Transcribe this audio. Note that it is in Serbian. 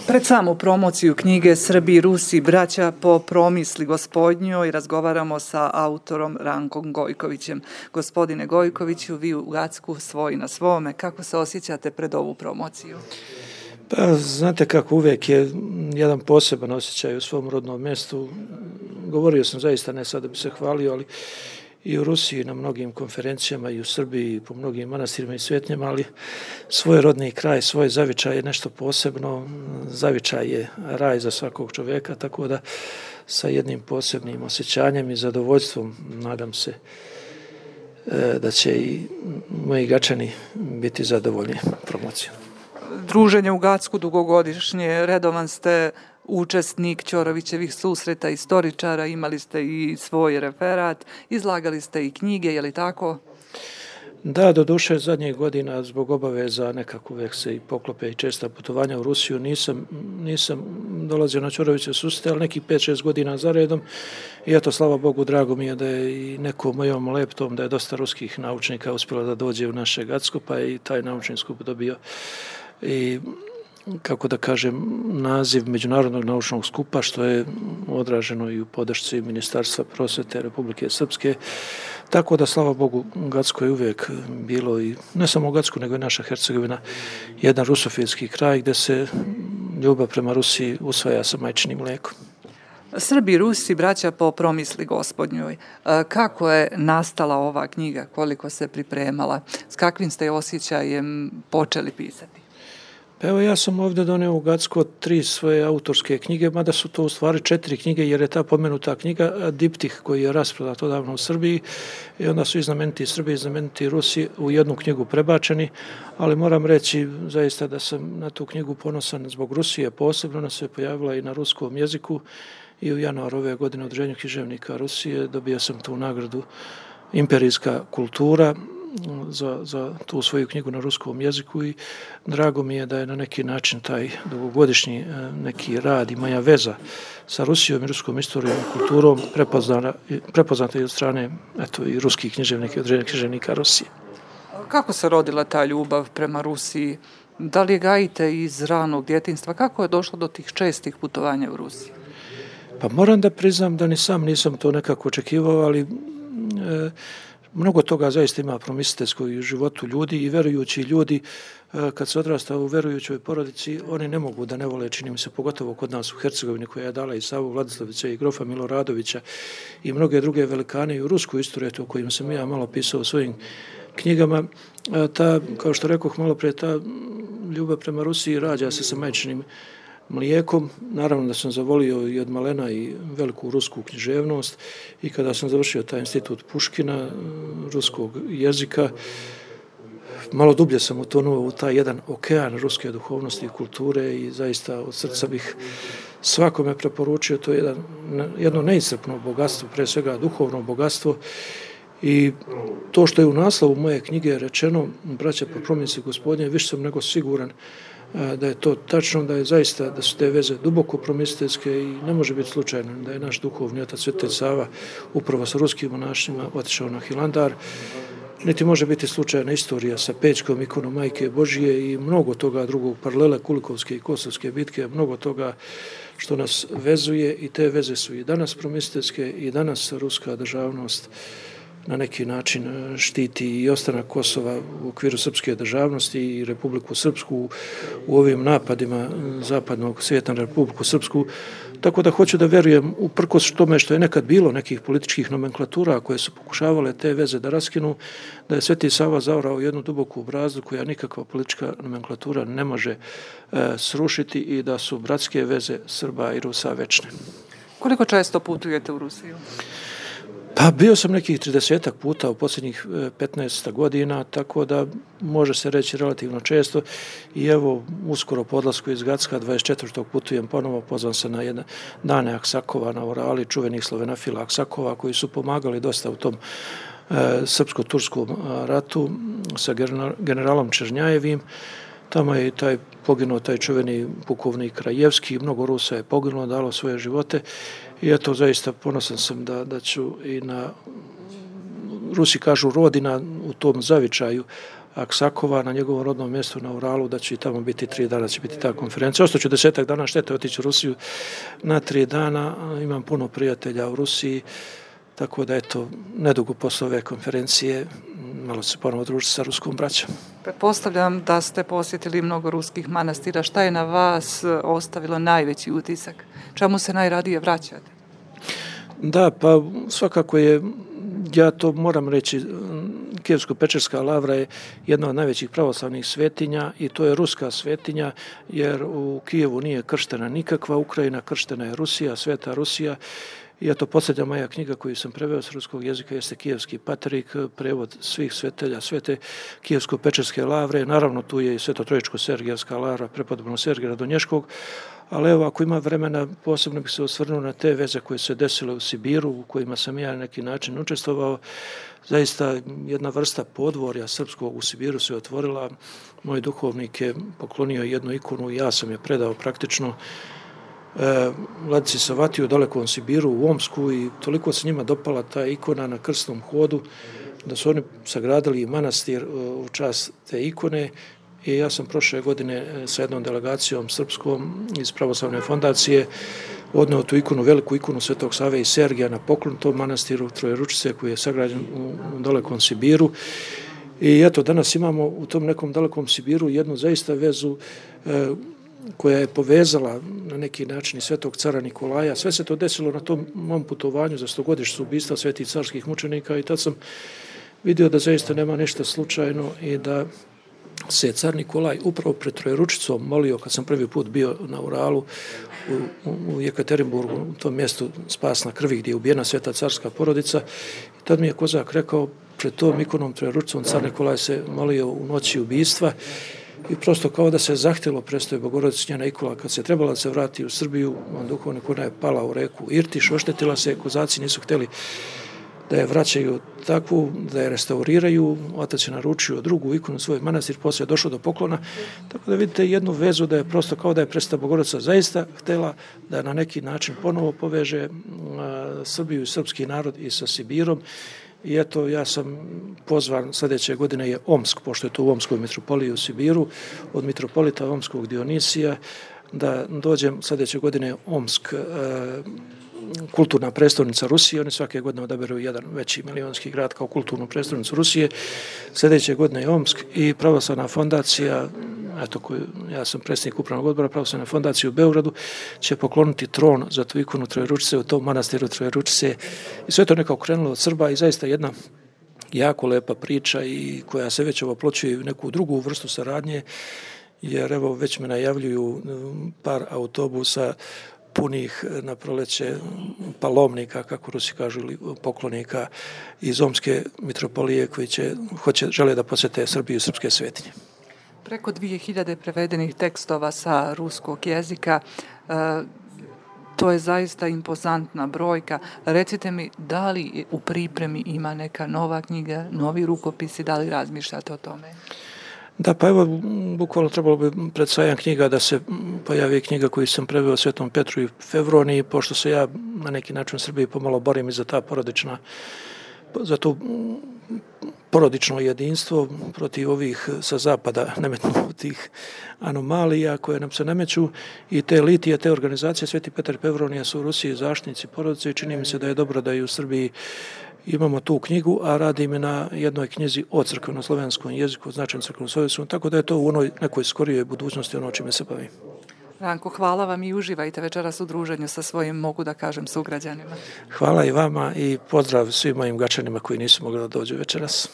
Pred samu promociju knjige Srbi i Rusi, braća po promisli gospodnjoj, razgovaramo sa autorom Rankom Gojkovićem. Gospodine Gojkoviću, vi u Gacku svoj na svome, kako se osjećate pred ovu promociju? Pa, znate kako, uvijek je jedan poseban osjećaj u svom rodnom mjestu. Govorio sam zaista, ne sad da bi se hvalio, ali i u Rusiji na mnogim konferencijama, i u Srbiji, i po mnogim manastirima i svetnjama, ali svoj rodni kraj, svoj zavičaj je nešto posebno. Zavičaj je raj za svakog čovjeka, tako da sa jednim posebnim osjećanjem i zadovoljstvom nadam se da će i moji Gačani biti zadovoljni promocijom. Druženje u Gacku dugogodišnje, redovan ste učesnik Ćorovićevih susreta istoričara, imali ste i svoj referat, izlagali ste i knjige, je li tako? Da, doduše zadnjih godina zbog obaveza nekako uvijek se i poklope i česta putovanja u Rusiju nisam dolazio na Ćorovićeve susrete, ali nekih 5-6 godina za redom i eto, slava Bogu, drago mi je da je i nekom mojom leptom da je dosta ruskih naučnika uspjelo da dođe u naše Gacko, pa je i taj naučni skup dobio i kako da kažem, naziv Međunarodnog naučnog skupa, što je odraženo i u podršci Ministarstva prosvete Republike Srpske. Tako da, slava Bogu, Gacko je uvijek bilo, i ne samo Gacko, nego i naša Hercegovina, jedan rusofilski kraj gdje se ljubav prema Rusiji usvaja sa majčinim mlijekom. Srbi i Rusi, braća po promisli gospodnjoj. Kako je nastala ova knjiga, koliko se pripremala, s kakvim ste osjećajem počeli pisati? Pa evo, ja sam ovdje donio u Gacko 3 svoje autorske knjige, mada su to u stvari 4 knjige, jer je ta pomenuta knjiga diptih koji je rasprodat odavno u Srbiji i onda su i znameniti Srbi i znameniti Rusi u jednu knjigu prebačeni, ali moram reći zaista da sam na tu knjigu ponosan zbog Rusije posebno. Ona se pojavila i na ruskom jeziku i u januaru ove godine u Udruženju književnika Rusije dobio sam tu nagradu Imperijska kultura za tu svoju knjigu na ruskom jeziku i drago mi je da je na neki način taj dugogodišnji neki rad i moja veza sa Rusijom i ruskom istorijom i kulturom prepoznata i od strane i ruskih književnika i Udruženja književnika Rusije. Kako se rodila ta ljubav prema Rusiji? Da li je gajite iz ranog djetinjstva? Kako je došlo do tih čestih putovanja u Rusiji? Pa moram da priznam da ni sam nisam to nekako očekivao, ali mnogo toga zaista ima promisiteljsko u životu ljudi i verujući ljudi, kad se odrasta u verujućoj porodici, oni ne mogu da ne vole, čini mi se, pogotovo kod nas u Hercegovini, koja je dala i Savu Vladislavića i grofa Miloradovića i mnoge druge velikane i u rusku istoriju o kojim sam ja malo pisao u svojim knjigama. Ta, kao što rekoh malo prije, ta ljubav prema Rusiji rađa se sa majčinim mlijekom. Naravno da sam zavolio i od malena i veliku rusku književnost i kada sam završio taj institut Puškina, ruskog jezika, malo dublje sam utonuo u taj jedan okean ruske duhovnosti i kulture i zaista od srca bih svakome preporučio. To je jedno neiscrpno bogatstvo, pre svega duhovno bogatstvo, i to što je u naslovu moje knjige rečeno braća po promisli gospodnje, više sam nego siguran da je to tačno, da je zaista, da su te veze duboko promisiteljske i ne može biti slučajno da je naš duhovni otac Sveti Sava upravo sa ruskim monašima otišao na Hilandar, niti može biti slučajna istorija sa Pećkom ikonom Majke Božije i mnogo toga drugog, paralele Kulikovske i Kosovske bitke, mnogo toga što nas vezuje i te veze su i danas promisiteljske i danas ruska državnost na neki način štiti i ostanak Kosova u okviru srpske državnosti i Republiku Srpsku u ovim napadima zapadnog svijeta na Republiku Srpsku. Tako da hoću da verujem, uprkos tome što je nekad bilo nekih političkih nomenklatura koje su pokušavale te veze da raskinu, da je Sveti Sava zaorao jednu duboku brazdu koja nikakva politička nomenklatura ne može srušiti i da su bratske veze Srba i Rusa večne. Koliko često putujete u Rusiju? Pa bio sam nekih 30 puta u posljednjih 15 godina, tako da može se reći relativno često i evo uskoro po odlasku iz Gacka 24. putujem ponovo, pozvan se na jedne dane Aksakova na Orali, čuvenih slovenafila Aksakova koji su pomagali dosta u tom srpsko-turskom ratu sa generalom Černjajevim. Tamo je poginuo taj čuveni pukovnik Krajevski, mnogo Rusa je poginulo, dalo svoje živote i eto zaista ponosan sam da ću i na Rusi kažu rodina u tom zavičaju, Aksakova na njegovom rodnom mjestu na Uralu, da će i tamo biti 3 dana, će biti ta konferencija. Ostaću 10 dana, štete otići u Rusiju na 3 dana. Imam puno prijatelja u Rusiji, tako da eto, nedugo posle ove konferencije malo se ponovo družiti sa ruskom braćom. Pretpostavljam da ste posjetili mnogo ruskih manastira. Šta je na vas ostavilo najveći utisak? Čemu se najradije vraćate? Da, pa svakako je, ja to moram reći, Kijevsko-Pečerska lavra je jedna od najvećih pravoslavnih svetinja i to je ruska svetinja, jer u Kijevu nije krštena nikakva Ukrajina, krštena je Rusija, Sveta Rusija. I eto, posljednja moja knjiga koju sam preveo s ruskog jezika jeste Kijevski Paterik, prevod svih svetelja Svete Kijevsko-Pečerske lavre. Naravno, tu je i Sveto-Trojičko-Sergijevska lavra, prepodobno Sergija Radonješkog. Ali evo, ako ima vremena, posebno bih se osvrnuo na te veze koje se desile u Sibiru, u kojima sam ja na neki način učestvovao. Zaista jedna vrsta podvorja srpskog u Sibiru se otvorila. Moj duhovnik je poklonio jednu ikonu i ja sam je predao praktično Vladici Savatiju u dalekom Sibiru, u Omsku, i toliko se njima dopala ta ikona na krsnom hodu da su oni sagradili manastir u čast te ikone. I ja sam prošle godine sa jednom delegacijom srpskom iz Pravoslavne fondacije odneo tu ikonu, veliku ikonu Svetog Save i Sergija na poklon tom manastiru Trojeručice koji je sagrađen u dalekom Sibiru. I eto, danas imamo u tom nekom dalekom Sibiru jednu zaista vezu koja je povezala na neki način i Svetog cara Nikolaja. Sve se to desilo na tom mom putovanju za 100-godišnjicu ubistva svetih carskih mučenika i tad sam vidio da zaista nema ništa slučajno i da se car Nikolaj upravo pred Trojeručicom molio, kad sam prvi put bio na Uralu u Jekaterinburgu, u tom mjestu Spasna krvi gdje je ubijena sveta carska porodica. I tad mi je kozak rekao, pred tom ikonom Trojeručicom car Nikolaj se molio u noći ubistva i prosto kao da se zahtjelo predstoji Bogorodici njena ikona. Kad se trebala da se vrati u Srbiju, on duhovnik, ona je pala u reku Irtiš, oštetila se, kozaci nisu htjeli da je vraćaju takvu, da je restauriraju. Otac je naručio drugu ikonu svoj manastir, poslije je došlo do poklona. Tako da vidite jednu vezu da je prosto kao da je Presveta Bogorodica zaista htjela da na neki način ponovo poveže Srbiju i srpski narod i sa Sibirom. I eto, ja sam pozvan, sljedeće godine je Omsk, pošto je to u Omskoj mitropoliji u Sibiru, od mitropolita Omskog Dionisija, da dođem sljedeće godine Omsk, kulturna prestolnica Rusije. Oni svake godine odaberu jedan veći milionski grad kao kulturnu prestolnicu Rusije. Sljedeće godine je Omsk i Pravoslavna fondacija, eto, ja sam predsjednik upravnog odbora Pravoslavne fondacije u Beogradu, će pokloniti tron za tu ikonu Trojeručice u tom manastiru Trojeručice. I sve to nekako krenulo od Srba i zaista jedna jako lepa priča i koja se već oploćuje u neku drugu vrstu saradnje, jer evo već me najavljuju par autobusa punih na proleće palomnika, kako Rusi kažu, ili poklonika iz Omske mitropolije koji žele da posjete Srbiju i srpske svetinje. Preko 2000 prevedenih tekstova sa ruskog jezika, to je zaista impozantna brojka. Recite mi, da li u pripremi ima neka nova knjiga, novi rukopisi, da li razmišljate o tome? Da, pa evo, bukvalno trebalo bi pred sajam knjiga da se pojavi knjiga koju sam preveo Svetom Petru i Fevroniji, pošto se ja na neki način u Srbiji pomalo borim i za za to porodično jedinstvo protiv ovih sa zapada nametnutih anomalija koje nam se nameću i te litije, te organizacije. Sveti Petar i Fevronija su u Rusiji zaštitnici porodice i čini mi se da je dobro da i u Srbiji imamo tu knjigu, a radim je na jednoj knjizi o crkveno-slovenskom jeziku, značajnom crkveno-slovenskom, tako da je to u onoj nekoj skorijoj budućnosti ono čime se bavim. Ranko, hvala vam i uživajte večeras u druženju sa svojim, mogu da kažem, sugrađanima. Hvala i vama i pozdrav svim mojim Gačanima koji nisu mogli da dođu večeras.